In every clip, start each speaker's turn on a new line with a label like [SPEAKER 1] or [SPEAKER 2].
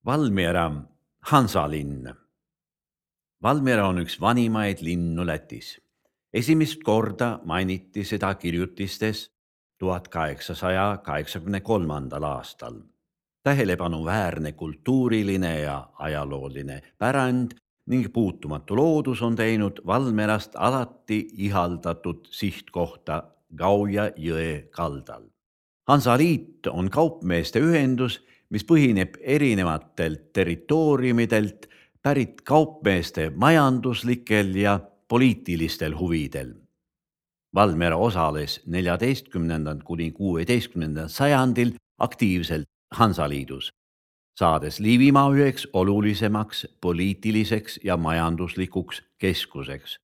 [SPEAKER 1] Valmiera Hansalinn. Valmiera on üks vanimaid linnu Lätis. Esimest korda mainiti seda kirjutistes 1883. aastal. Tähelepanuväärne kultuuriline ja ajalooline pärand ning puutumatu loodus on teinud Valmierast alati ihaldatud sihtkohta Gauja jõe kaldal. Hansaliit on kaupmeeste ühendus, mis põhineb erinevatelt territooriumidelt pärit kaupmeeste majanduslikel ja poliitilistel huvidel. Valmiera osales 14. kuni 16. sajandil aktiivselt Hansaliidus, saades Liivimaa üheks olulisemaks poliitiliseks ja majanduslikuks keskuseks.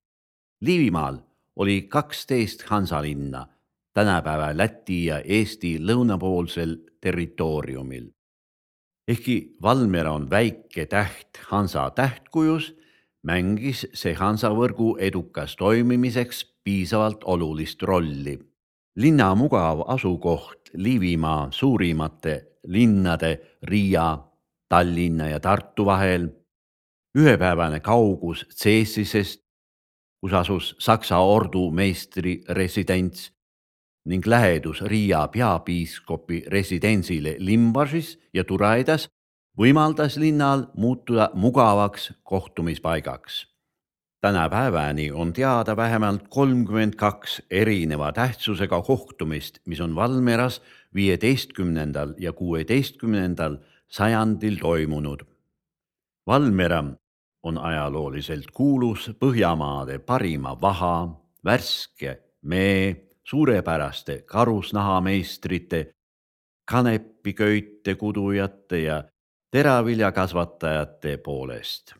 [SPEAKER 1] Liivimaal oli 12 Hansalinna, tänapäeva Läti ja Eesti lõunapoolsel territooriumil. Ehkki Valmiera on väike täht Hansa tähtkujus, mängis see Hansavõrgu edukas toimimiseks piisavalt olulist rolli. Linna mugav asukoht Liivimaa suurimate linnade Riia, Tallinna ja Tartu vahel, ühepäevane kaugus Ceesisest, kus asus Saksa ordumeistri residents, ning lähedus Riia peapiiskopi residentsile Limbažis ja Turaidas võimaldas linnal muutuda mugavaks kohtumispaigaks. Tänapäevani on teada vähemalt 32 erineva tähtsusega kohtumist, mis on Valmieras 15. ja 16. sajandil toimunud. Valmiera on ajalooliselt kuulus Põhjamaade parima vaha, värske mee, suurepäraste karusnahameistrite, kanepiköite kudujate ja teraviljakasvatajate poolest.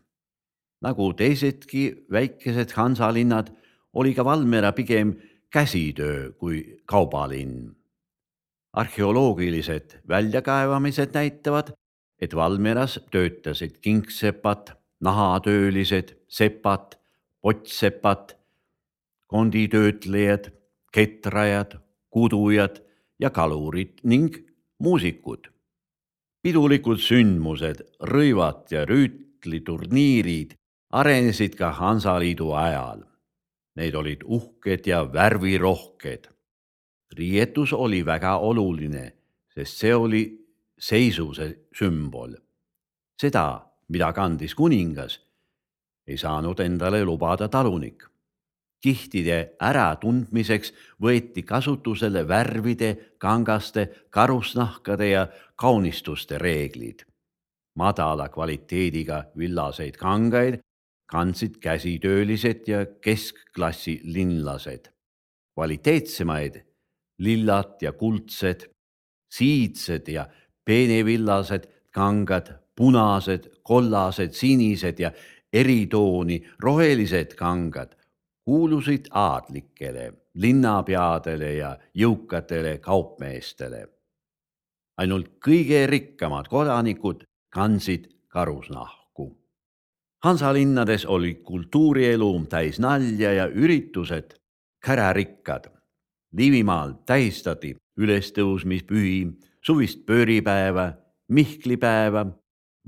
[SPEAKER 1] Nagu teisedki väikesed Hansalinnad, oli ka Valmiera pigem käsitöö kui kaubalinn. Arheoloogilised väljakaevamised näitavad, et Valmieras töötasid kingsepad, nahatöölised, sepad, pottsepad, konditöötlejad, ketrajad, kudujad ja kalurid ning muusikud. Pidulikud sündmused, rõivad ja rüütliturniirid arenesid ka Hansaliidu ajal. Need olid uhked ja värvirohked. Riietus oli väga oluline, sest see oli seisuse sümbol. Seda, mida kandis kuningas, ei saanud endale lubada talunik. Kihtide äratundmiseks võeti kasutusele värvide, kangaste, karusnahkade ja kaunistuste reeglid. Madala kvaliteediga villaseid kangaid kandsid käsitöölised ja keskklassi linlased. Kvaliteetsemaid, lillat ja kuldsed, siidsed ja peenevillased kangad, punased, kollased, sinised ja eritooni rohelised kangad kuulusid aadlikele, linnapeadele ja jõukatele kaupmeestele. Ainult kõige rikkamad kodanikud kandsid karusnahku. Hansalinnades oli kultuurielu täis nalja ja üritused kärarikkad. Liivimaal tähistati ülestõusmispühi, suvist pööripäeva, Mihklipäeva,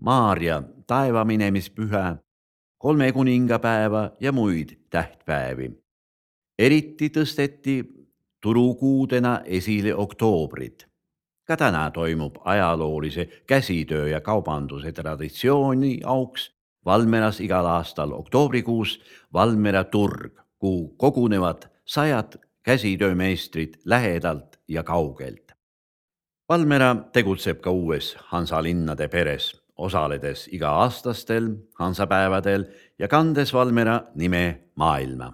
[SPEAKER 1] Maarja taevaminemispüha, kolme kuningapäeva ja muid tähtpäevi. Eriti tõsteti turukuudena esile oktoobrid. Ka täna toimub ajaloolise käsitöö ja kaubanduse traditsiooni auks Valmieras igal aastal oktoobrikuus Valmiera turg, kuhu kogunevad sajad käsitöömeistrid lähedalt ja kaugelt. Valmiera tegutseb ka uues Hansalinnade peres, osaledes iga-aastastel Hansapäevadel ja kandes Valmiera nime maailma.